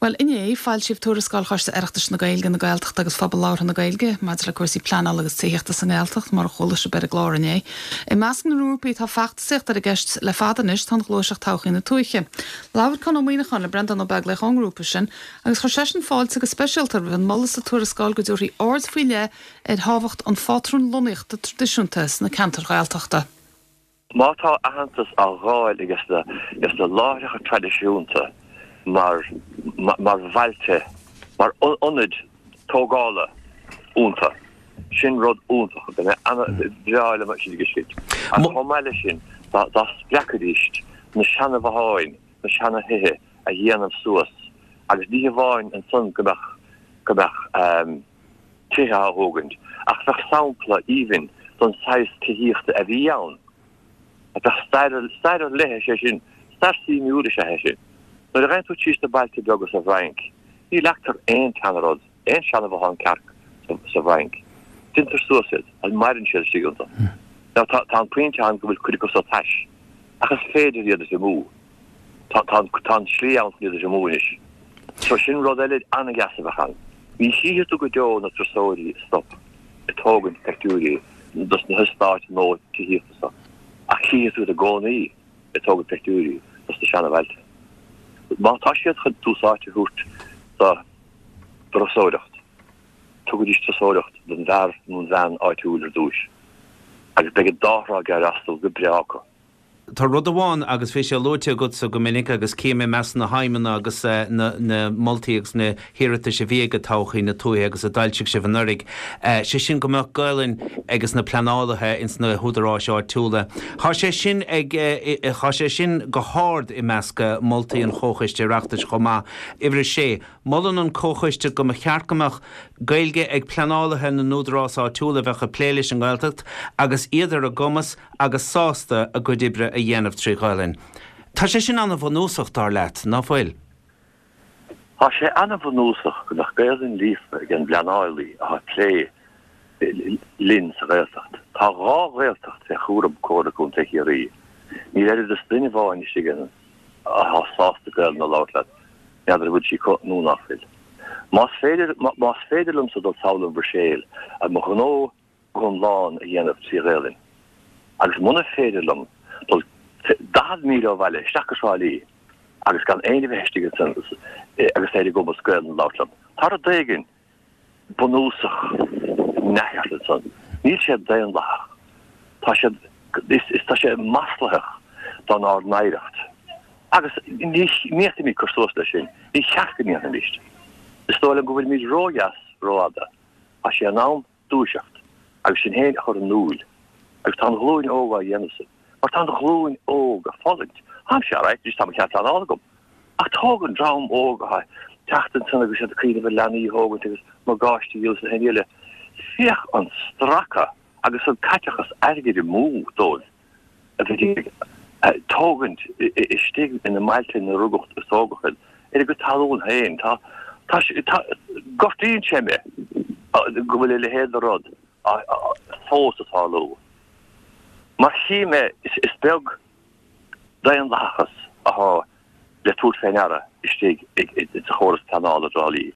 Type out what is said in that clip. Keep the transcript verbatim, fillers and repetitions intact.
Well inné foilsíodh tuarascáil Choiste Oireachtais na Gaeilge na Gaeltachta agus Phobal Labhartha na Gaeilge maidir le cúrsaí pleanála agus tithíochta sa nGaeltacht mar a chuala sibh ar an gclár inné. I measc na ngrúpaí atá feachtasaíocht ar an gceist le fada anois tá an ghluaiseacht Todhchaí na Tuaithe. Labhair Conn Ó Muíneacháin le Breandán Ó Beaglaoich ón ngrúpa sin agus chuir seisean fáilte go speisialta roimh an moladh sa tuarascáil go dtabharfaí aird faoi leith ar thábhacht an phátrún lonnaíochta traidisiúnta sna ceantair Ghaeltachta. Má tá aitheantas á fháil ages na na láithreacha traidisiúnta mar mar bhailte mar ionaid tógála iontu sin rud iontach breá liom sin sin. Chomh maith leis sin dá spreagfaidís na seanabhotháin na seanatithe a dhéanamh suas agus ní hamháin ansan go mbeadh go mbeadh um, tithe á thógaint ach bheadh sampla aoibhinn don saghas tithíochta a bhí ann. A bheadh stair léithe sé sin stair suimiúil sé sin. Nuair a théann tú síos na bailte beaga sa bhFrainc, ní leagtar aon tseanrud, aon seanabhothán cearc sa bhFrainc. Déantar suas iad agus maireann siad istigh iontu. Now tá an pointe ann go bhfuil cuid acu sa tais, ach is féidir iad a mú. Tá tá an slí ann iad a mú anois. So sin rud eile an-dheas a bheadh ann. Ní chífidh tú go deo na turasóirí stop ag tógaint pictiúirí dos na heastáit nó tithíochta so. Ach chífidh tú i gcónaí ag tógaint pictiúirí dos na seanabhailte. Má tá siad chun tús áite a thabhairt do thurasóireacht. Tugaidís turasóireacht don bhfear nó an bhean áitiúil ar dtús. Agus beidh an dá thrá ag freastal go breá acu. Tá rud amháin agus bhí sé luaite agatsa go minic agus cím i measc na haidhmeanna agus eh, na, na moltaí agus na hiarratais a bhí ag Todhchaí na Tuaithe agus a d'fhoilsigh sibh anuraidh. Eh, sé sin go mbeadh Gaelainn agus na pleanálaithe ins na húdaráis áitiúla. Tá sé sin ag eh, tá sé sin go hard i measc moltaí an Chomhchoiste Oireachtais chomh maith. Uimhir a sé, molann an Comhchoiste go mba cheart go mbeadh Gaeilge ag pleanálaithe na n-údarás áitiúil a bheadh ag plé leis an nGaeltacht agus iad ar a gcumas agus sásta a gcuid oibre a dhéanamh trí Ghaelainn. Tá sé sin an-bhunúsach dar leat, ná fuil? Tá sé an-bhunúsach go mbeadh Gaelainn líofa ag an bpleanálaí atá ag plé linn sa Ghaeltacht. Tá dhá Ghaeltacht fé chúram Comhairle Contae Chiarraí. Níl oiread is duine amháin istigh atá sásta Gaelainn a labhairt leat, n'fheadar bhfuil sí nó nach bhfuil. Más féidir más féidir liomsa dul sall an Bhruiséil a mo ghnó iomlán a dhéanamh trí Ghaelainn. Agus muna féidir liom dul daichead míle ó bhaile isteach go Trá Lí agus gan aon bheith istigh agus é go Gaelainn labhairt liom. Tá rud éigin bunúsach neamhcheart ansan. Níl sé daonlathach. Tá sé is, is tá sé maslaitheach don ár n-oidhreacht. Agus ní ndéanfaimid cur suas leis sin, ní cheart go ndéanfaimis. Is dóigh liom go bhfuilimid ródheas rófhada. Tá sé in am dúiseacht agus sin féin a chur in iúl. Agus tá an ghlúin óg á dhéanamh sin. Mar tá an ghlúin óg ag fulaingt. Tá sé right, tá cead pleanála agam. Ach tóg an dream óg a teacht ansan agus siad cuimhneamh ar leanaí a thógaint agus morgáistí agus na héile. Féach an stracadh agus an caiteachas airgid amú dóibh a bheith ag tógaint istigh ina mbailte ina rugadh is tógadh ar a gcuid talún féin. Tá tá gortaíonn sé mé go bhfuil a leithéid de rud fós ag tarlú. Mar chí mé is beag daonlathachas atá le tabhairt faoi deara istigh sa chóras pleanála i dTrá Lí.